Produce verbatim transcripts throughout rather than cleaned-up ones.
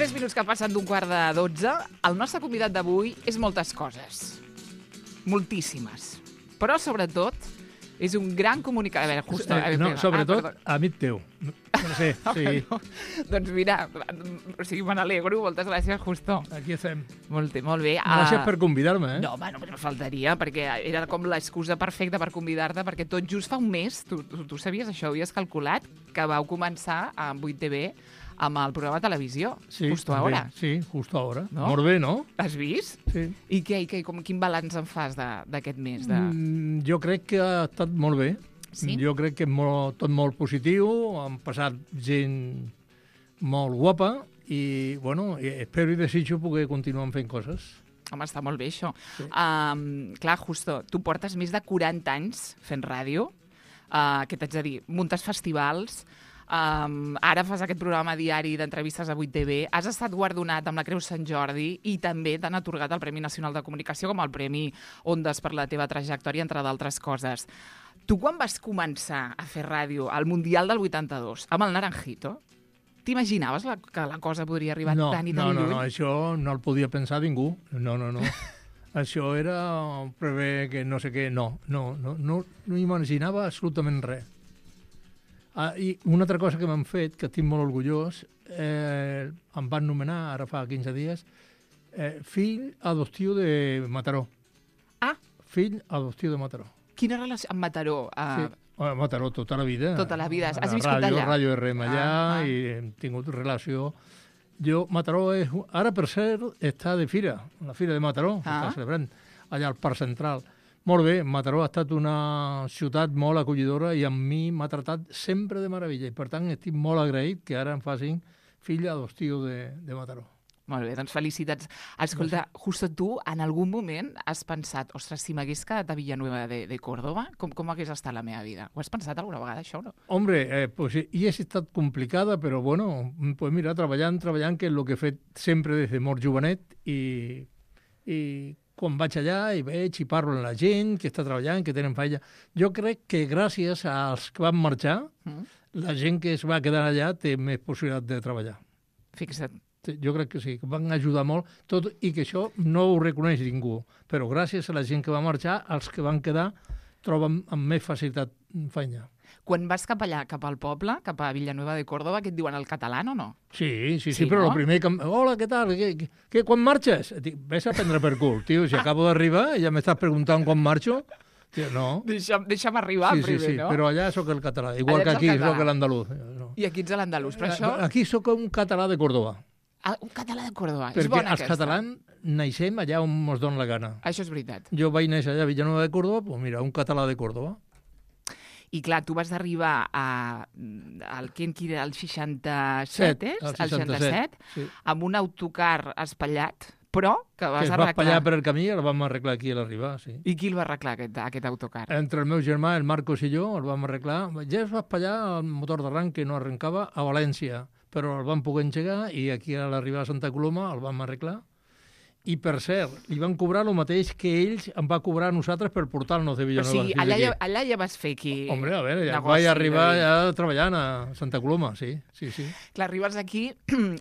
Tres minuts que passen d'un quart de dotze. El nostre convidat d'avui és moltes coses. Moltíssimes. Però, sobretot, és un gran comunicador. A veure, justo... Eh, no, sobretot, ah, amic teu. No sé, sí. no, doncs mira, o sigui, me n'alegro. Moltes gràcies, Justo. Aquí estem. Molt, molt bé. Gràcies uh... per convidar-me, eh? No, home, no faltaria, perquè era com l'excusa perfecta per convidar-te, perquè tot just fa un mes, tu, tu, tu sabies això, havies calculat, que vau començar a vuit T V amb el programa de televisió, sí, Justo també. Ahora. Sí, Justo Ahora. No? Molt bé, no? Has vist? Sí. I què, i què, com, quin balanç en fas d'aquest mes? De... Mm, jo crec que ha estat molt bé. Sí? Jo crec que és molt, tot molt positiu, han passat gent molt guapa i, bueno, espero i desitjo poder continuar fent coses. Home, està molt bé, això. Sí. Um, clar, Justo, tu portes més de quaranta anys fent ràdio. Uh, què t'haig de dir? Muntes festivals, um, ara fas aquest programa diari d'entrevistes a vuit T V, has estat guardonat amb la Creu Sant Jordi i també t'han atorgat el Premi Nacional de Comunicació com el Premi Ondes per la teva trajectòria, entre d'altres coses. Tu, quan vas començar a fer ràdio al Mundial del vuitanta-dos, amb el Naranjito, t'imaginaves la, que la cosa podria arribar no, tan i tan no, lluny? No, no, això no el podia pensar ningú. No, no, no. Això era prever que no sé què. No, no, no, no, no imaginava absolutament res. Ah, I una altra cosa que m'han fet, que estic molt orgullós, eh, em van nomenar, ara fa quinze dies, eh, fill adoptiu de Mataró. Ah! Fill adoptiu de Mataró. Quina relació amb Mataró? Uh... Sí. A Mataró tota la vida. Tota la vida. Has viscut ràdio, allà? Ràdio R M allà ah, ah. i hem tingut relació. Jo, Mataró, és, ara per cert, està de fira, la fira de Mataró, ah. està celebrant allà al Parc Central. Molt bé, Mataró ha estat una ciutat molt acollidora i amb mi m'ha tratat sempre de meravella i per tant estic molt agraït que ara em facin fill adoptiu de, de Mataró. Molt bé, doncs felicitats. Escolta, Justo, tu en algun moment has pensat, ostres, si m'hagués quedat a Villanueva de, de Córdoba, com, com hagués estat la meva vida? Ho has pensat alguna vegada, això, o no? Hombre, eh, pues hi ha estat complicada, però bueno, pues mira, treballant, treballant, que és el que he fet sempre des de molt jovenet i, i quan vaig allà i veig i parlo amb la gent que està treballant, que tenen feina. Jo crec que gràcies als que van marxar, mm. la gent que es va quedar allà té més possibilitat de treballar. Fixa't. Jo crec que sí, que van ajudar molt, tot i que això no ho reconeix ningú. Però gràcies a la gent que va marxar, els que van quedar troben amb més facilitat feina. Quan vas cap allà, cap al poble, cap a Villanueva de Córdoba, què et diuen, el català o no? Sí, sí, sí, sí però no? el primer que... Hola, què tal? Què, què, què, quan marxes? Dic, ves a prendre per cul, tio, si acabo d'arribar i ja m'estàs preguntant quan marxo. Tio, no. Deixa'm, deixa'm arribar sí, primer, sí, sí, no? però allà sóc el català, igual allà que aquí sóc l'andalús. No. I aquí ets l'andalús, però això... Aquí sóc un català de Córdoba. Ah, un català de Córdoba, perquè és bona els aquesta. catalans naixem allà on ens dona la gana. Això és veritat. Jo vaig néixer allà a Villanueva de Córdoba, doncs mira, un català de Córdoba. I clar, tu vas arribar a, al quin era el seixanta-set, és? El seixanta-set, sí. Amb un autocar espatllat, però que vas que es arreglar. va espatllar per el camí i el vam arreglar aquí a l'arribar, sí. I qui el va arreglar, aquest, aquest autocar? Entre el meu germà, el Marcos i jo, el vam arreglar. Ja es va espatllar el motor d'arranc que no arrencava a València, però el vam poder engegar i aquí a l'arribada a Santa Coloma el vam arreglar. I, per cert, li van cobrar el mateix que ells em va cobrar a nosaltres per portar-nos de Villanueva. O sigui, allà ja, allà ja vas fer aquí... Hombre, a veure, ja negoci, vaig arribar ja treballant a Santa Coloma, sí, sí, sí. Clar, arribes aquí,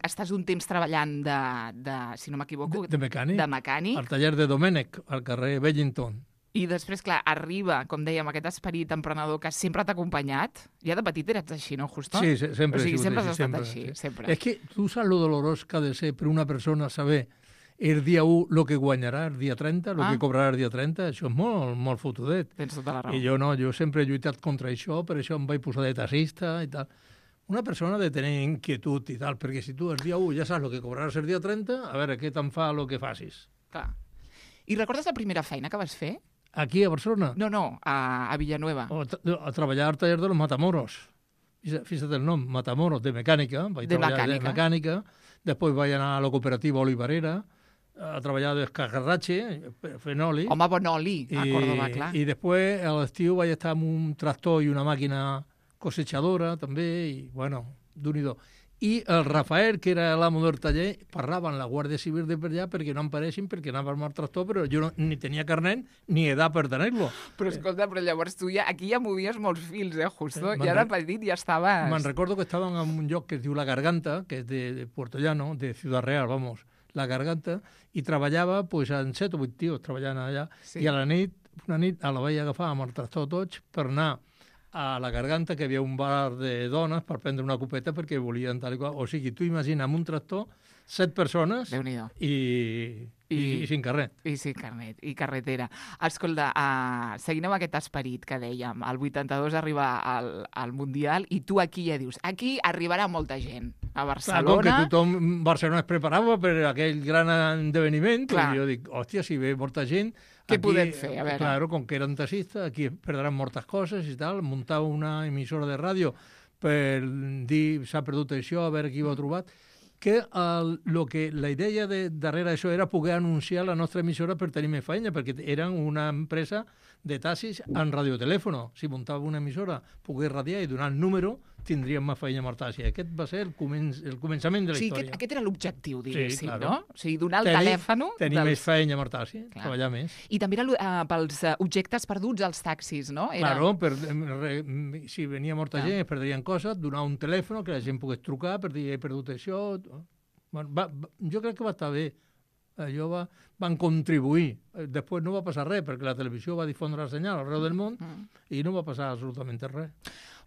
estàs un temps treballant de, de si no m'equivoco... De, de mecànic. De mecànic. Al taller de Domènec, al carrer Bellington. I després, clar, arriba, com dèiem, aquest esperit emprenedor que sempre t'ha acompanyat. Ja de petit eres així, no, Justo? Sí, sempre o sigui, he sigut sempre així. has estat sempre, així, sí. sempre. És que tu saps lo dolorós que ha de ser per una persona saber el dia u el que guanyarà el dia trenta, el ah. que cobrarà el dia trenta, això és molt, molt fotudet. Tens tota la raó. I jo no, jo sempre he lluitat contra això, per això em vaig posar de taxista i tal. Una persona ha de tenir inquietud i tal, perquè si tu el dia u ja saps el que cobraràs el dia trenta, a veure, què te'n fa el que facis? Clar. I recordes la primera feina que vas fer? Aquí, a Barcelona? No, no, a, a Villanueva. O a, a treballar al taller de los Matamoros. Fíjate el nom, Matamoros, de mecànica. Vaig de treballar mecànica. de mecànica. Després vaig anar a la cooperativa Olivarera, a treballar d'escagarratxe, fent oli. Home, bon oli, a Córdoba, clar. I després, a l'estiu, vaig estar amb un tractor i una màquina cosechadora, també, i, bueno, d'un i do. i el Rafael, que era l'amo del taller, parlava amb la Guàrdia Civil de per allà perquè no em paressin, perquè anava amb el tractor, però jo no, ni tenia carnet ni edat per tenir-lo. Però escolta, però llavors tu ja, aquí ja movies molts fils, eh, Justo? Eh, Ja de petit ja estaves... Me'n recordo que estaven en un lloc que es diu La Garganta, que és de, de Puerto Llano, de Ciudad Real, vamos, La Garganta, i treballava pues, en set o vuit tios treballant allà, Sí. i a la nit, una nit, a la vaig agafar amb el tractor tots per anar a La Garganta, que hi havia un bar de dones per prendre una copeta perquè volien tal i qual. O sigui, tu imagina amb un tractor, set persones Déu-n'hi-do. i, i, I- i, i sin carnet. I sí, carnet, i carretera. Escolta, uh, seguint amb aquest esperit que dèiem, el vuitanta-dos arriba al, al Mundial i tu aquí ja dius, aquí arribarà molta gent a Clar, com que Barcelona. tothom, Barcelona es preparava per aquell gran esdeveniment, Clar. i jo dic, hòstia, si ve molta gent... Què podem fer? A veure. Claro, com que eren taxistes, aquí es perdran moltes coses i tal, muntar una emissora de ràdio per dir s'ha perdut això, a veure qui ho ha trobat, que, el, lo que la idea de darrere d'això era poder anunciar la nostra emissora per tenir més feina, perquè eren una empresa de taxis en radiotelèfono. Si muntava una emissora, poder radiar i donar el número, tindríem més feina amb el taxi. Aquest va ser el, començ, el començament de O la sigui, història. aquest, aquest era l'objectiu, diguéssim, claro. no? O sigui, donar el Tenir- telèfon... Tenir dels- més feina amb el taxi, Clar. treballar més. I també era uh, pels uh, objectes perduts als taxis, no? Era... Claro, per, re, si venia molta Clar. gent es perdrien coses, donar un telèfon que la gent pogués trucar per dir he perdut això. Bueno, va, va, jo crec que va estar bé. Allò va, van contribuir. Eh, Després no va passar res, perquè la televisió va difondre el senyal arreu del món Mm. i no va passar absolutament res.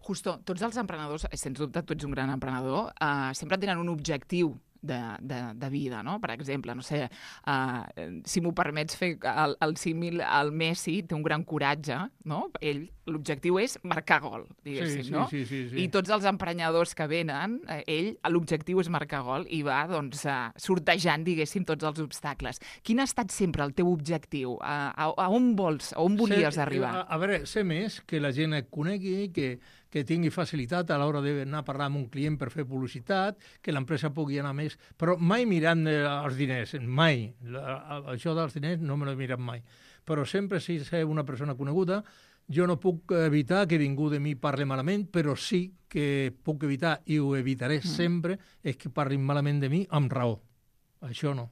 Justo, tots els emprenedors, sens dubte tu ets un gran emprenedor, uh, sempre tenen un objectiu de, de, de vida, no? Per exemple, no sé, uh, si m'ho permets fer el, el símil, el Messi té un gran coratge, no? Ell, l'objectiu és marcar gol, diguéssim, sí, sí, no? sí, sí, sí. I tots els emprenyadors que venen, eh, ell, l'objectiu és marcar gol i va, doncs, uh, sortejant, diguéssim, tots els obstacles. Quin ha estat sempre el teu objectiu? Uh, a, a on vols, a on volies Ser- arribar? A, a veure, ser més, que la gent et conegui, que, que tingui facilitat a l'hora d'anar a parlar amb un client per fer publicitat, que l'empresa pugui anar més, però mai mirant eh, els diners, mai. La, això dels diners no me l'he mirat mai. Però sempre, si ser una persona coneguda, jo no puc evitar que ningú de mi parli malament, però sí que puc evitar, i ho evitaré mm. sempre, és que parlin malament de mi amb raó. Això no.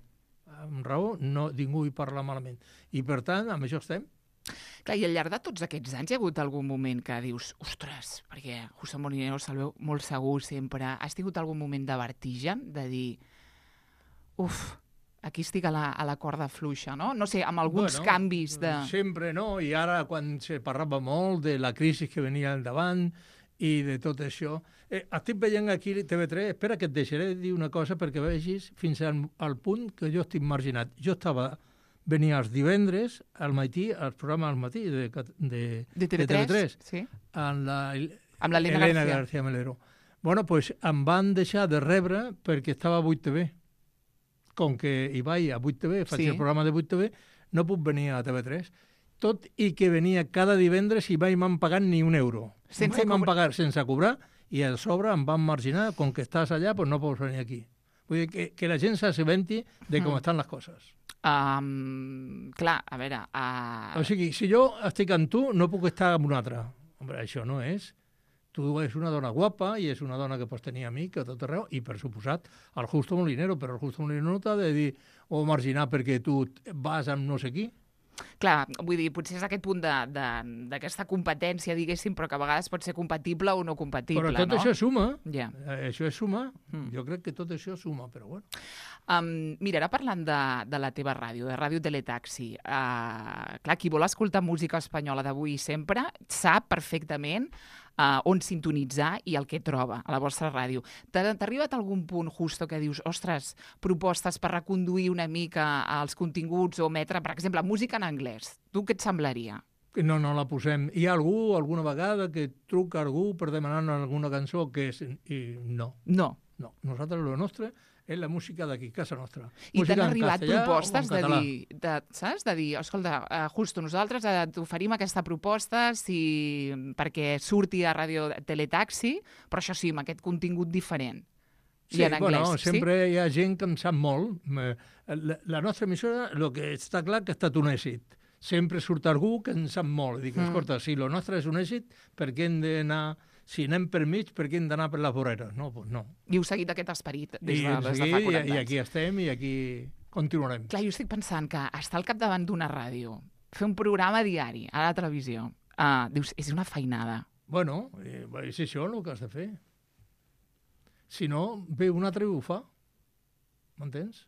Amb raó, no, ningú hi parla malament. I, per tant, amb això estem. Clar, i al llarg de tots aquests anys hi ha hagut algun moment que dius, ostres, perquè José Molinero se'l veu molt segur sempre. Has tingut algun moment de vertigen, de dir, uf, aquí estic a la, a la corda fluixa, no? No sé, amb alguns Bueno, canvis de... Sempre no, i ara quan se parlava molt de la crisi que venia al davant i de tot això... Eh, estic veient aquí T V tres, espera que et deixaré dir una cosa perquè vegis fins al, al punt que jo estic marginat. Jo estava... Venia els divendres al matí, al programa al matí de, de, De T V tres, de T V tres sí. amb la, Amb l'Helena Elena García. García Melero. Bueno, pues em van deixar de rebre perquè estava a vuit T V. Com que hi vaig a vuit T V, faig Sí. el programa de vuit T V, no puc venir a T V tres. Tot i que venia cada divendres i mai m'han pagat ni un euro. Sense mai m'han cobrar. pagat sense cobrar i a sobre em van marginar, com que estàs allà, pues no pots venir aquí. Vull dir que, que la gent s'assabenti de com Mm. estan les coses. Um, clar, a veure... Uh... O sigui, si jo estic amb tu, no puc estar amb un altre. Hombre, això no és. Tu és una dona guapa i és una dona que pots tenir amic a tot arreu i, per suposat, el Justo Molinero, però el Justo Molinero no t'ha de dir o marginar perquè tu vas amb no sé qui. Clar, vull dir, potser és aquest punt de- de- d'aquesta competència, diguéssim, però que a vegades pot ser compatible o no compatible, Però tot no? això suma. Ja. Eh, Això és suma. Mm. Jo crec que tot això suma, però bueno. Um, mira, ara parlant de, de la teva ràdio, de Ràdio Teletaxi, uh, clar, qui vol escoltar música espanyola d'avui i sempre sap perfectament uh, on sintonitzar i el que troba a la vostra ràdio. T'ha t'ha arribat algun punt, Justo, que dius, ostres, propostes per reconduir una mica els continguts o emetre, per exemple, música en anglès? Tu què et semblaria? No, no la posem. Hi ha algú, alguna vegada, que truca algú per demanar alguna cançó que és... I no, No. no. Nosaltres, lo nostre, és la música d'aquí, casa nostra. I Música t'han en arribat castellà o propostes en de català. dir, de, saps? De dir, escolta, uh, Justo, nosaltres uh, t'oferim aquesta proposta si, perquè surti a Ràdio Teletaxi, però això sí, amb aquest contingut diferent. Sí, I en anglès, bueno, sí? sempre hi ha gent que en sap molt. Eh, La, la nostra emissora, el que està clar que ha estat un èxit. Sempre surt algú que en sap molt. I dic, Mm. escolta, si el nostre és un èxit, per què hem d'anar... si anem per mig, per què hem d'anar per les voreres? No, doncs no. I heu seguit aquest esperit des I, de, des de fa quaranta anys. I aquí estem i aquí continuarem. Clar, jo estic pensant que estar al capdavant d'una ràdio, fer un programa diari a la televisió, uh, dius, és una feinada. Bueno, eh, és això el que has de fer. Si no, ve un altre i ho fa. M'entens?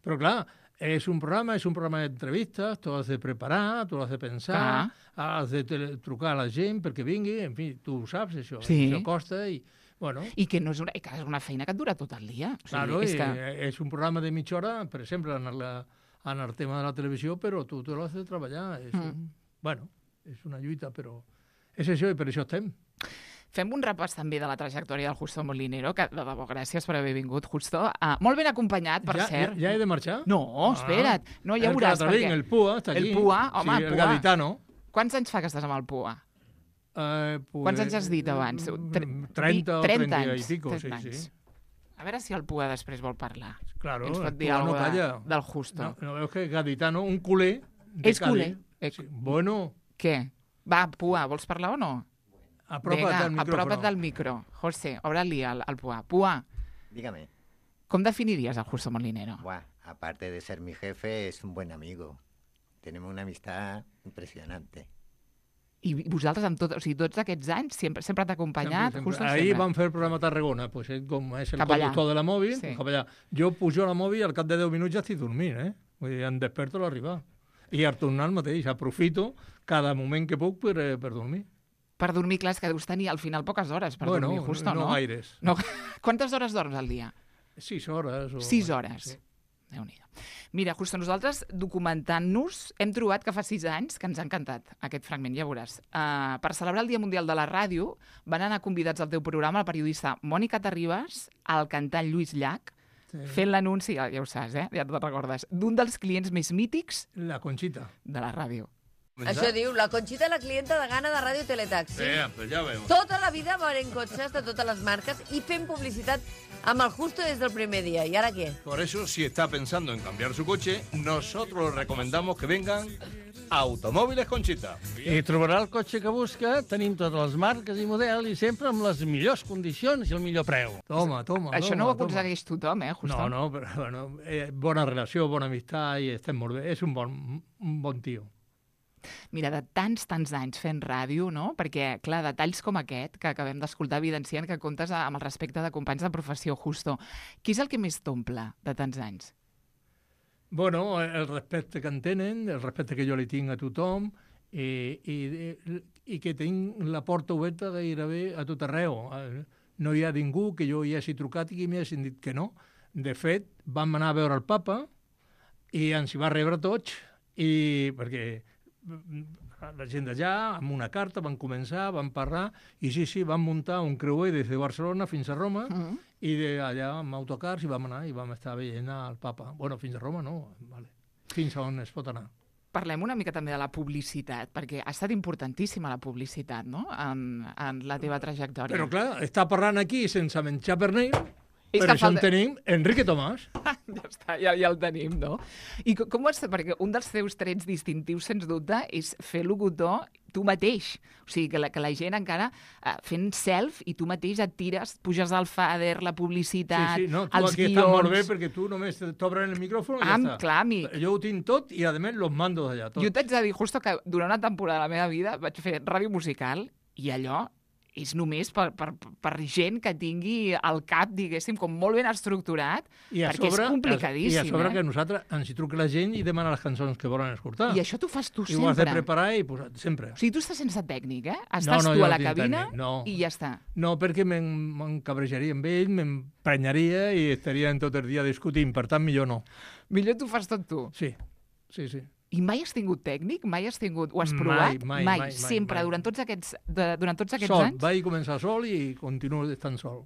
Però clar, és un programa, és un programa d'entrevistes, tu has de preparar, tu has de pensar, clar. Has de trucar a la gent perquè vingui, en fi, tu ho saps, això. Sí. Això costa i... Bueno. I que no és una, que és una feina que et dura tot el dia. O sigui, claro, és, que... és un programa de mitja hora, per exemple, en, la, en el tema de la televisió, però tu, tu l'has de treballar. És, mm. un, bueno, és una lluita, però és això i per això estem. Fem un repàs també de la trajectòria del Justo Molinero, que de debò, gràcies per haver vingut, Justo. Uh, molt ben acompanyat, per ja, cert. Ja, ja he de marxar? No, espera't. No, ja el veuràs. Perquè... El Pua està aquí. El Pua, home, sí, el Pua. El gaditano. Quants anys fa que estàs amb el Pua? Uh, pues, Quants anys has dit abans? trenta o trenta i pico, trenta sí, sí. A veure si el Pua després vol parlar. Claro, ens pot dir no alguna calla. de, del Justo. No, no veus que gaditano, un culer de És culer. Sí. Bueno. Què? Va, Pua, vols parlar o no? Apropa't Venga, al micrófono. apropa't del micro. José, obre-li al, al Pua. Pua. Dígame. ¿Cómo definirías al Justo Molinero? Buah, aparte de ser mi jefe, es un buen amigo. Tenemos una amistad impresionante. I vosaltres, amb tot, o sigui, tots aquests anys, sempre, sempre t'ha acompanyat? Sempre, sempre. Justo Ahir sempre. vam fer el programa a Tarragona, pues, eh, com és el Cap conductor allà. de la mòbil, Sí. cap allà. Jo pujo a la mòbil i al cap de deu minuts ja estic dormint, eh? Vull dir, em desperto a l'arribar. I al tornar el mateix, aprofito cada moment que puc per, eh, per dormir. Per dormir, clar, és que deus tenir al final poques hores per bueno, dormir, Justo, no? no? No gaires. No. Quantes hores dorms al dia? Sis hores. O... Sis hores. Sí. Déu-n'hi-do. Mira, Justo, nosaltres documentant-nos hem trobat que fa sis anys que ens ha encantat aquest fragment, ja veuràs. Uh, per celebrar el Dia Mundial de la Ràdio van anar convidats al teu programa la periodista Mònica Terribas, el cantant Lluís Llach, sí. fent l'anunci, ja, ja ho saps, eh? ja te'n recordes, d'un dels clients més mítics La Conxita. de la ràdio. Això diu, la Conxita, la clienta de gana de Ràdio Teletaxi. Sí, pues ja veu. Tota la vida veurem cotxes de totes les marques i fent publicitat amb el Justo des del primer dia. ¿Y ahora qué? Por eso, si está pensando en cambiar su coche, nosotros le recomendamos que vengan a Automòbiles Conxita. I trobarà el cotxe que busca, tenim totes les marques i model i sempre amb les millors condicions i el millor preu. Toma, toma. Això toma, no ho toma. aconsegueix tothom, eh, Justo? No, no, però bueno, eh, bona relació, bona amistat i estem molt bé. És un bon, un bon tio. Mira, de tants, tants anys fent ràdio, no? Perquè, clar, detalls com aquest que acabem d'escoltar evidencien que comptes amb el respecte de companys de professió, Justo. Qui és el que més t'omple de tants anys? Bueno, el respecte que en tenen, el respecte que jo li tinc a tothom i, i, i que tinc la porta oberta gairebé a tot arreu. No hi ha ningú que jo hi hagi trucat i que m'hi hagin dit que no. De fet, vam anar a veure el papa i ens hi va rebre tots i perquè la gent d'allà, amb una carta, van començar, van parlar, i sí, sí, van muntar un creuer des de Barcelona fins a Roma, mm. i d'allà amb autocars i vam anar i vam estar veient el papa. Bueno, fins a Roma no, vale. Fins a on es pot anar. Parlem una mica també de la publicitat, perquè ha estat importantíssima la publicitat, no?, en, en la teva trajectòria. Però clar, està parlant aquí sense menjar pernil, És per que això falta... en tenim Enrique Tomàs. Ja està, ja, ja el tenim, no? I com ho has... Perquè un dels teus trets distintius, sens dubte, és fer locutor tu mateix. O sigui, que la, que la gent encara uh, fent self i tu mateix et tires, puges al fader, la publicitat, sí, sí, no, tu els aquí guions... estàs molt bé perquè tu només t'obren el micròfon i ah, ja està. Clar, amic. Jo ho tinc tot i, a més, los mando d'allà. Jo t'haig de dir, Justo, que durant una temporada de la meva vida vaig fer ràdio musical i allò és només per, per, per gent que tingui el cap, diguéssim, com molt ben estructurat, I perquè sobre, és complicadíssim. I a sobre eh? que nosaltres ens hi truca la gent i demana les cançons que volen escoltar. I això t'ho fas tu I sempre. ho has de preparar i posar sempre. O sigui, tu estàs sense tècnic, eh? Estàs no, no, tu a no la tinc cabina tècnic, no. i ja està. No, perquè m'encabrejaria amb ell, m'emprenyaria i estaríem tot el dia discutint, per tant, millor no. Millor t'ho fas tot tu. Sí, sí, sí. I mai has tingut tècnic? Mai has tingut... Ho has provat? Mai, mai, mai. Sempre, mai. durant tots aquests, de, durant tots aquests sol. anys? Vaig començar sol i continuo estant sol.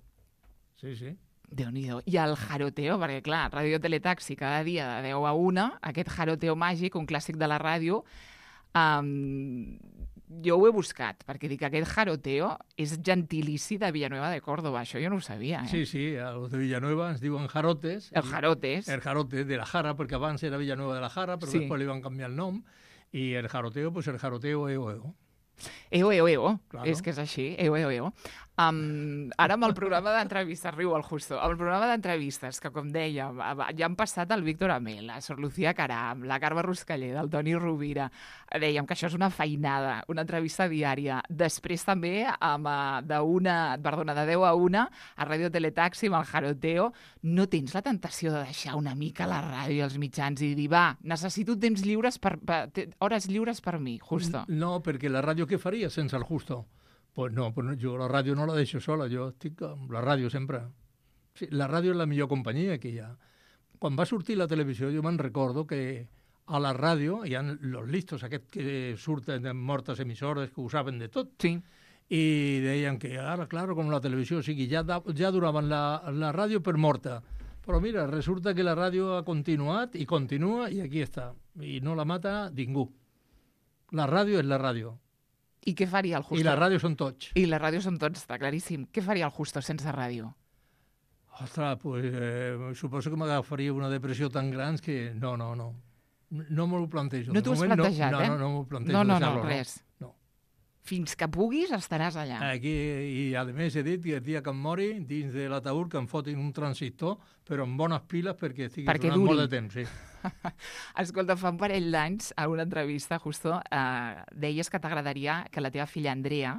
Sí, sí. Déu-n'hi-do. I el jaroteo, perquè clar, Ràdio Teletaxi cada dia de deu a una, aquest jaroteo màgic, un clàssic de la ràdio, um, jo ho he buscat, perquè dic que aquest jaroteo és gentilici de Villanueva de Córdoba. Això jo no ho sabia, eh? Sí, sí, a los de Villanueva ens diuen jarotes. El jarotes. El jarote de la Jara, perquè abans era Villanueva de la Jara, però sí. després li van canviar el nom. I el jaroteo, pues el jaroteo eo, eo. Eo, eo, eo. Claro. És que és així, eo, eo, eo. Um, ara amb el programa d'entrevistes, riu el Justo, amb el programa d'entrevistes, que com dèiem, ja han passat el Víctor Amel, la Sor Lucía Caram, la Carme Ruscalleda, el Toni Rovira, dèiem que això és una feinada, una entrevista diària. Després també, amb, d'una, perdona, de deu a una, a Ràdio Teletaxi, amb el Jaroteo, no tens la tentació de deixar una mica la ràdio i els mitjans i dir, va, necessito temps lliures per, per, hores lliures per mi, Justo? No, perquè la ràdio què faria sense el Justo? Pues no, pues jo la ràdio no la deixo sola, jo estic amb la ràdio sempre. Sí, la ràdio és la millor companyia que hi ha. Quan va sortir la televisió jo me'n recordo que a la ràdio hi ha los listos, aquests que surten de mortes emissores que ho saben de tot. Sí. I deien que ara, clar, com la televisió, o sigui, ja, da, ja donaven la, la ràdio per morta. Però mira, resulta que la ràdio ha continuat i continua i aquí està. I no la mata ningú. La ràdio és la ràdio. I què faria el Justo? I la ràdio són tots. I la ràdio són tots, està claríssim. Què faria el Justo sense ràdio? Ostres, pues, eh, suposo que m'agafaria una depressió tan gran que no, no, no. No m'ho plantejo. No t'ho has plantejat, no, eh? No, no, no m'ho plantejo. No, no, no, no, res. No. Fins que puguis estaràs allà. Aquí, i a més he dit que el dia que em mori, dins de l'ataúd que em fotin un transistor, però amb bones piles perquè estigui perquè durant duri. molt de temps, sí. Escolta, fa un parell d'anys, a una entrevista, Justo, eh, deies que t'agradaria que la teva filla Andrea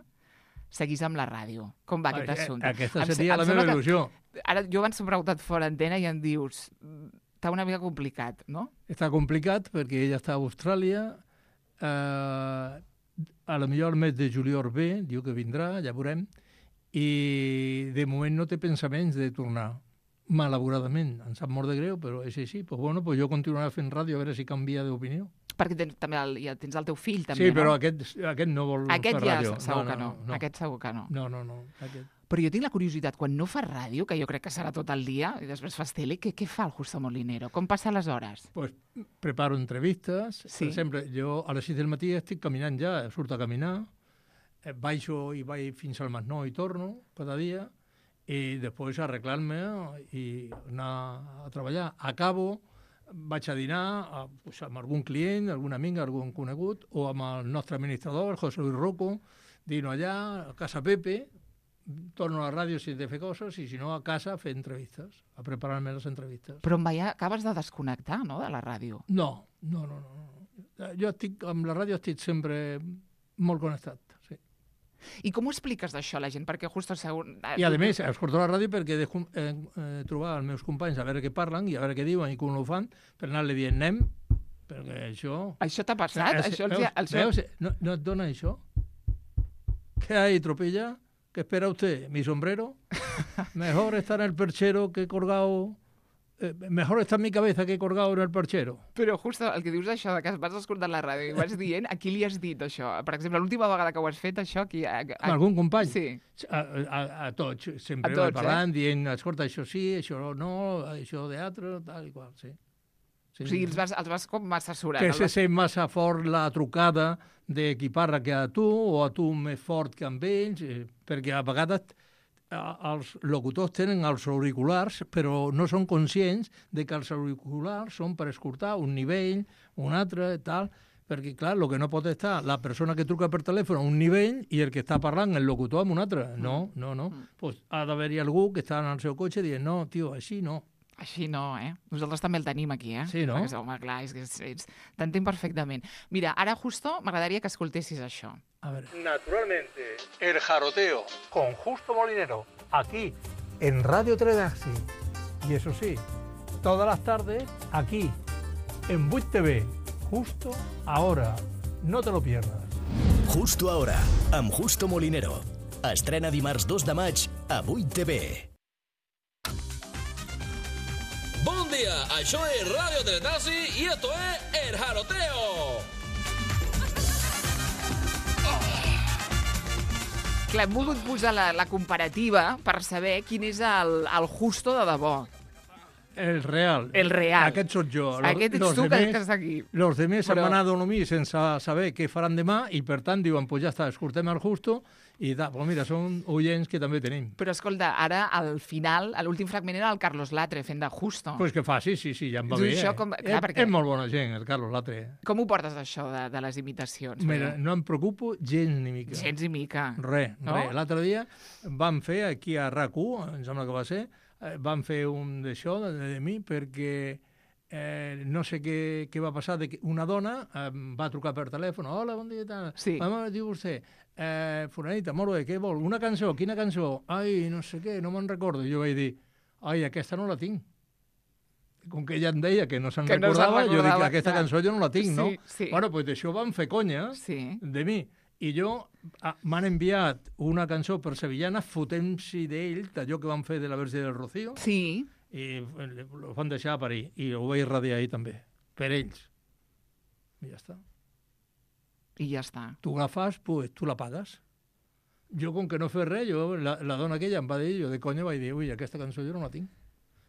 seguís amb la ràdio. Com va aquest Ai, assumpte? Aquesta Em- seria em la sembla meva que- il·lusió. Ara, jo abans t'he preguntat fora antena i em dius, està una mica complicat, no? Està complicat perquè ella està a Austràlia, eh, a la millor el mes de juliol ve, diu que vindrà, ja veurem, i de moment no té pensaments de tornar. Malauradament, em sap molt de greu, però és així. Pues bueno, pues jo continuaré fent ràdio a veure si canvia d'opinió. Perquè tens, també el, ja tens el teu fill, també, Sí, no? però aquest, aquest no vol Aquest fer ja ràdio. segur que no. Aquest segur que no. No, no, no. Aquest. Però jo tinc la curiositat, quan no fas ràdio, que jo crec que serà tot el dia, i després fas tele, què, què fa el Justo Molinero? Com passa les hores? Pues preparo entrevistes. Sí. Per exemple, jo a les sis del matí estic caminant ja, surto a caminar, eh, baixo i vaig fins al Masnou i torno cada dia, i després arreglar-me i anar a treballar. Acabo, vaig a dinar a, pues, amb algun client, algun amic, algun conegut, o amb el nostre administrador, el José Luis Rocco, dino allà, a casa Pepe, torno a la ràdio si he de fer coses, i si no, a casa a fer entrevistes, a preparar-me les entrevistes. Però em veia, acabes de desconnectar, no?, de la ràdio. No, no, no, no. Jo estic, amb la ràdio estic sempre molt connectat, sí. I com ho expliques d'això a la gent? Perquè Justo... Segur... I a més, escolto la ràdio perquè dejo eh, eh, trobar els meus companys a veure què parlen i a veure què diuen i com ho fan, per anar-li dient anem, perquè això... Això t'ha passat? Eh, això els... veus, els... veus? No, no et dona això? ¿Qué hay, tropilla? ¿Qué espera usted? ¿Mi sombrero? Mejor estar en el perchero que colgado... Eh, mejor está en mi cabeza que colgado en el perchero. Però Justo, el que dius això, de que vas escoltant la ràdio i vas dient, a qui li has dit això? Per exemple, l'última vegada que ho has fet, això... Qui, a, a... Algun company? Sí. A, a, a tots, sempre A tots, parlant, eh? dient, escolta, això sí, això no, això d'altre, tal i qual, sí. sí. O sigui, els vas, els vas com assessorar. Que els se vas... sent massa fort la trucada d'equiparra que a tu, o a tu més fort que amb ells, eh, perquè a vegades els locutors tenen els auriculars, però no són conscients de que els auriculars són per escoltar un nivell, un altre, tal, perquè, clar, el que no pot estar la persona que truca per telèfon a un nivell i el que està parlant, el locutor, amb un altre. No, no, no. Mm. Pues ha d'haver-hi algú que està en el seu cotxe dient, no, tio, així no. Així no, eh? Nosaltres també el tenim aquí, eh? Sí, no? Perquè, home, clar, és que és, és... t'entenc perfectament. Mira, ara, Justo, m'agradaria que escoltessis això. A ver. Naturalmente, el jaroteo. Con Justo Molinero, aquí, en Radio Teletaxi. Y eso sí, todas las tardes, aquí, en vuit T V. Justo ahora. No te lo pierdas. Justo ahora, amb Justo Molinero. Estrena dimarts dos de maig a vuit T V. Bon dia, això és Radio Teletaxi i esto es El Jaroteo. Clar, hem volgut posar la, la comparativa per saber quin és el, el Justo de debò. El real. El real. Aquest sóc jo. Aquest ets Los tu que demés- estàs aquí. Los demés Però- han anat a dormir sense saber què faran demà i, per tant, diuen, pues ja està, escoltem el Justo i da, pues mira, són oients que també tenim. Però escolta, ara al final, a l'últim fragment era el Carlos Latre fent de Justo. Pues que fa, sí, sí, sí, ja em va Tu bé. això eh? com- clar, és, perquè- és molt bona gent, el Carlos Latre. Com ho portes, això, de, de les imitacions? Mira, Perquè- no em preocupo gens ni mica. Gens i mica. Res, No? res. L'altre dia vam fer, aquí a RAC u, em sembla que va ser, eh, vam fer un d'això, de, de mi, perquè eh, no sé què, què va passar, de que una dona eh, va trucar per telèfon, hola, bon dia, tal. Sí. Vam dir vostè, eh, fulanita, molt bé, què vol? Una cançó, quina cançó? Ai, no sé què, no me'n recordo. Jo vaig dir, ai, aquesta no la tinc. Com que ella em deia que no se'n Que no se'n recordava, jo dic, recordava, aquesta clar. cançó jo no la tinc, no? Sí, sí. Bueno, doncs d'això vam fer conya, Sí. de mi. I jo ah, m'han enviat una cançó per Sevillana fotent-s'hi d'ell, d'allò que van fer de la versió del Rocío, Sí. i ho van deixar a París, i ho vaig radiar ahir també, per ells. I ja està. I ja està. Tu agafes, pues, tu la pagues. Jo, com que no fes res, jo, la, la dona aquella em va dir, jo de conya vaig dir, ui, aquesta cançó jo no la tinc.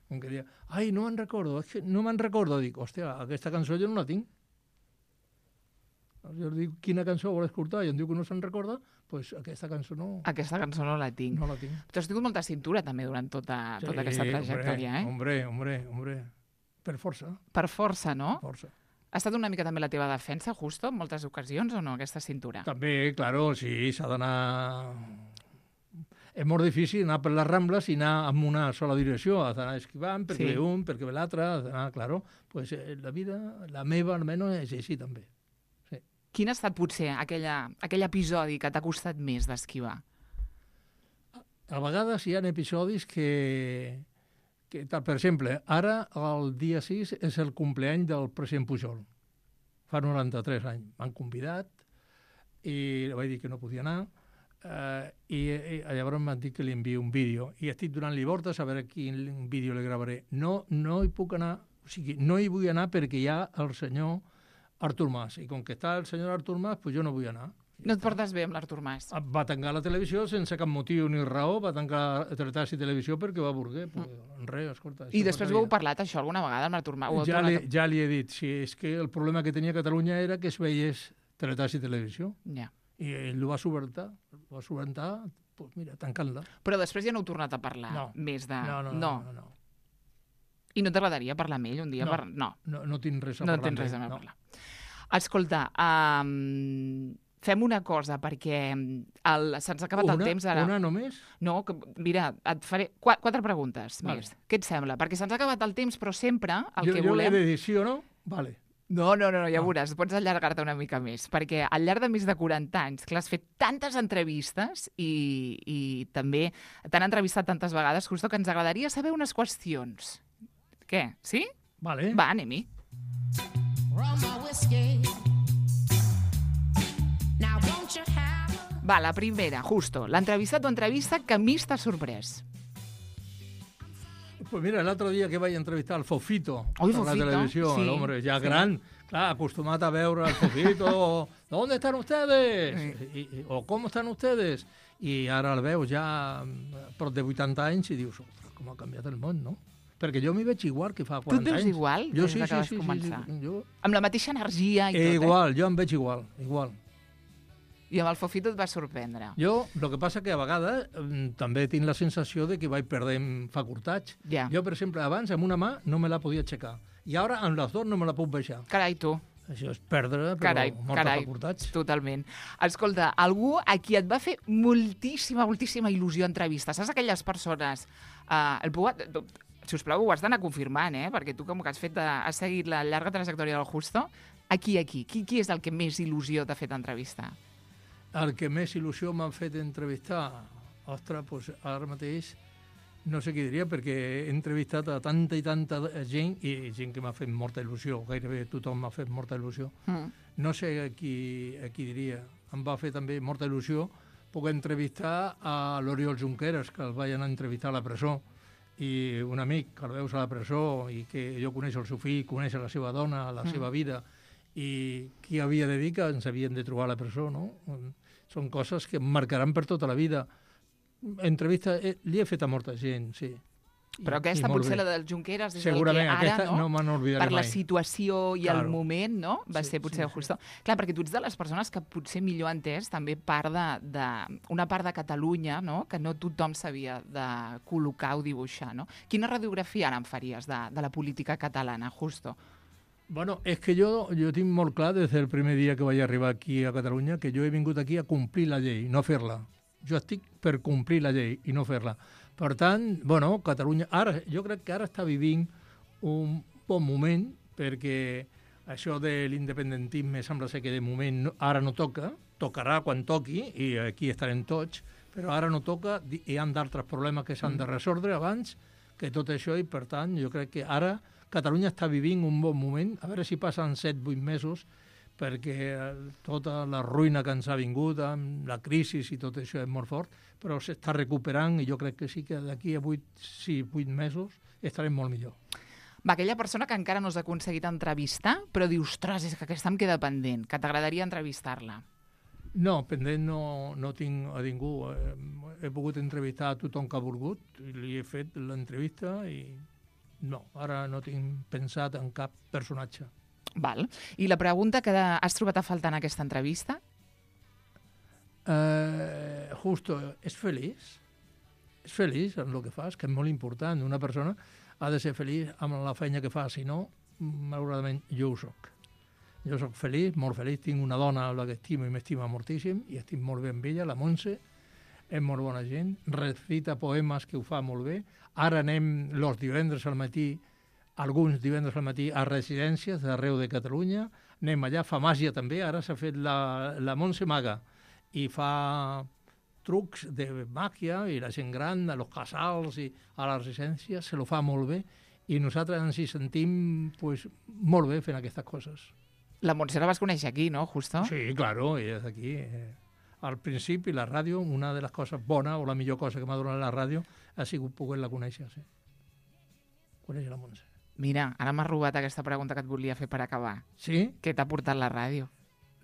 Com que dia, ai, no me'n recordo, és que no me'n recordo. Dic, hòstia, aquesta cançó jo no la tinc. Jo dic, quina cançó vol escoltar? I em diu que no se'n recorda, doncs pues aquesta cançó no, Aquesta cançó no la tinc. no la tinc. Tu has tingut molta cintura, també, durant tota, tota aquesta trajectòria, eh? Hombre, hombre, hombre. Per força, Per força, no? força. Ha estat una mica també la teva defensa, Justo, en moltes ocasions, o no, aquesta cintura? També, claro, sí, s'ha d'anar... És molt difícil anar per les Rambles i anar en una sola direcció. Has d'anar esquivant perquè Sí. ve un, perquè ve l'altre, has d'anar, claro. Pues eh, la vida, la meva almenys, és així també. Quin ha estat, potser, aquella, aquell episodi que t'ha costat més d'esquivar? A vegades hi ha episodis que, que tal, per exemple, ara el dia sis és el compleany del president Pujol. Fa noranta-tres anys. M'han convidat i vaig dir que no podia anar eh, i, i llavors m'han dit que li envio un vídeo i estic donant-li voltes a veure quin vídeo li gravaré. No, no hi puc anar, o sigui, no hi vull anar perquè hi ha el senyor Artur Mas, i com que està el senyor Artur Mas, pues jo no vull anar. No et portes bé amb l'Artur Mas? Va tancar la televisió sense cap motiu ni raó, va tancar Teletas i Televisió perquè va voler. Pues, res, escolta... I això després ho heu passaria. parlat, això, alguna vegada amb l'Artur Mas? Ho heu Ja li, tornat ja li he dit, si és que el problema que tenia Catalunya era que es veiés Teletas i Televisió, a... Ja. i ell ho va subvertar, ho va subvertar, pues mira, tancant-la. Però després ja no heu tornat a parlar No. més de... No, no, no. no. no, no. I no t'agradaria parlar amb ell un dia? No. Per... No, No, no tinc res a no parlar. tens res a amb ell, no. parlar. Escolta, um, fem una cosa, perquè el, se'ns ha acabat Una, el temps ara. una només? No, que, mira, et faré qua- quatre preguntes Vale. més. Què et sembla? Perquè se'ns ha acabat el temps, però sempre el jo que jo volem... l'he de dir sí o no? Vale. No, no, no, ja Ah. veuràs, pots allargar-te una mica més, perquè al llarg de més de quaranta anys, clar, has fet tantes entrevistes i, i també t'han entrevistat tantes vegades, Justo, que ens agradaria saber unes qüestions. Què? Sí? Vale. Va, anem-hi. Va, la primera, Justo, l'entrevistat o entrevista que més t'ha sorprès. Pues mira, l'altre dia que vaig entrevistar el Fofito Oi, per Fofito, la televisió, sí, l'home ja sí. gran, clar, acostumat a veure el Fofito, ¿dónde están ustedes? Sí. I, i, o ¿cómo están ustedes? I ara el veus ja mm, prop de vuitanta anys i dius, ostres, com ha canviat el món, no? Perquè jo m'hi veig igual que fa Tu et quaranta veus anys. igual Jo des sí, de que sí, vas sí, sí, començar? sí, jo... Amb la mateixa energia i Eh, tot, igual, jo em veig igual, igual. eh? I amb el Fofito et va sorprendre. Jo, el que passa que a vegades mm, també tinc la sensació de que vaig perdent facultats. Ja. Jo, per exemple, abans amb una mà no me la podia aixecar. I ara amb les dues no me la puc baixar. Carai, tu. Això és perdre, però Carai, moltes carai, facultats. totalment. Escolta, algú a qui et va fer moltíssima, moltíssima il·lusió entrevista, saps aquelles persones... Uh, el puc, si us plau, ho has d'anar confirmant, eh? Perquè tu, com que has, fet, uh, has seguit la llarga trajectòria del Justo, aquí, aquí, qui, qui és el que més il·lusió t'ha fet entrevistar? El que més il·lusió m'han fet entrevistar, ostres, doncs ara mateix no sé què diria, perquè he entrevistat a tanta i tanta gent, i gent que m'ha fet molta il·lusió, gairebé tothom m'ha fet molta il·lusió. Mm. No sé a qui, a qui diria. Em va fer també molta il·lusió poder entrevistar a l'Oriol Junqueras, que el vaig anar a entrevistar a la presó, i un amic que el veus a la presó i que jo coneixo el seu fill, coneix la seva dona, la mm. seva vida, i qui havia de dir que ens havien de trobar a la presó, no? Són coses que em marcaran per tota la vida. Entrevista, eh, li he fet a molta gent, sí. Però aquesta, molt potser bé. la del Junqueras, és Segurament, el que ara, aquesta no? no me n'oblidaré per la mai. situació i Claro. el moment, no? Va Sí, ser potser sí, sí. justo. Clar, perquè tu ets de les persones que potser millor ha entès també part de, de, una part de Catalunya, no? Que no tothom sabia de col·locar o dibuixar, no? Quina radiografia ara em faries de, de la política catalana, justo? Bueno, és que jo, jo tinc molt clar des del primer dia que vaig arribar aquí a Catalunya que jo he vingut aquí a complir la llei, no fer-la. Jo estic per complir la llei i no fer-la. Per tant, bueno, Catalunya... Ara, jo crec que ara està vivint un bon moment perquè això de l'independentisme sembla ser que de moment no, ara no toca, tocarà quan toqui i aquí estarem tots, però ara no toca i hi ha d'altres problemes que s'han de resoldre abans que tot això i, per tant, jo crec que ara Catalunya està vivint un bon moment, a veure si passen set vuit mesos perquè tota la ruïna que ens ha vingut, amb la crisi i tot això és molt fort, però s'està recuperant i jo crec que sí que d'aquí a vuit, sí, vuit mesos estarem molt millor. Va, aquella persona que encara no has aconseguit entrevistar, però dius, ostres, és que aquesta em queda pendent, que t'agradaria entrevistar-la. No, pendent no, no tinc a ningú. He, he pogut entrevistar a tothom que ha volgut, i li he fet l'entrevista i no, ara no tinc pensat en cap personatge. Val. I la pregunta que has trobat a faltar en aquesta entrevista? Eh, justo, és feliç? És feliç en el que fas, que és molt important. Una persona ha de ser feliç amb la feina que fa, si no, malauradament, jo ho soc. Jo soc feliç, molt feliç, tinc una dona a la que estimo i m'estima moltíssim, i estic molt bé amb ella, la Montse, és molt bona gent, recita poemes que ho fa molt bé. Ara anem els divendres al matí, alguns divendres al matí a residències d'arreu de Catalunya, anem allà, fa màgia també, ara s'ha fet la, la Montse Maga, i fa trucs de màgia, i la gent gran, a los casals i a les residències, se lo fa molt bé, i nosaltres ens hi sentim pues, molt bé fent aquestes coses. La Montse la vas conèixer aquí, no, justo? Sí, claro, ella és aquí. Eh, al principi, la ràdio, una de les coses bones, o la millor cosa que m'ha donat la ràdio, ha sigut poder-la conèixer, sí. Conèixer la Montse. Mira, ara m'has robat aquesta pregunta que et volia fer per acabar. Sí? Què t'ha portat la ràdio?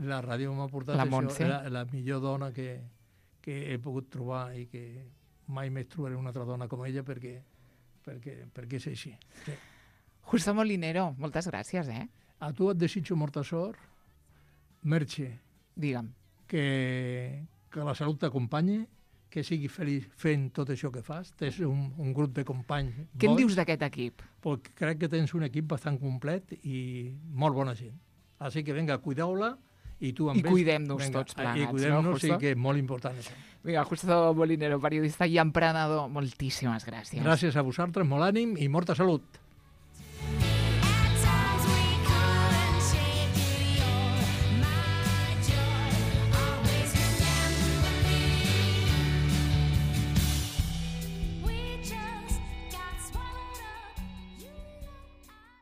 La ràdio m'ha portat La això, Montse? la, la millor dona que, que he pogut trobar i que mai més trobaré una altra dona com ella perquè, perquè, perquè és així. Sí. Justo Molinero, moltes gràcies, eh? A tu et desitjo molta sort, Merche, Digue'm. que, que la salut t'acompanyi, que siguis feliç fent tot això que fas. Tens un, un grup de companys Què en bons, dius d'aquest equip? pues crec que tens un equip bastant complet i molt bona gent. Així que vinga, cuideu-la i tu amb I cuidem-nos tots plegats, I cuidem-nos, no, no, sí, Justo? que és molt important això. Vinga, Justo Molinero, periodista i emprenedor, moltíssimes gràcies. Gràcies a vosaltres, molt ànim i molta salut.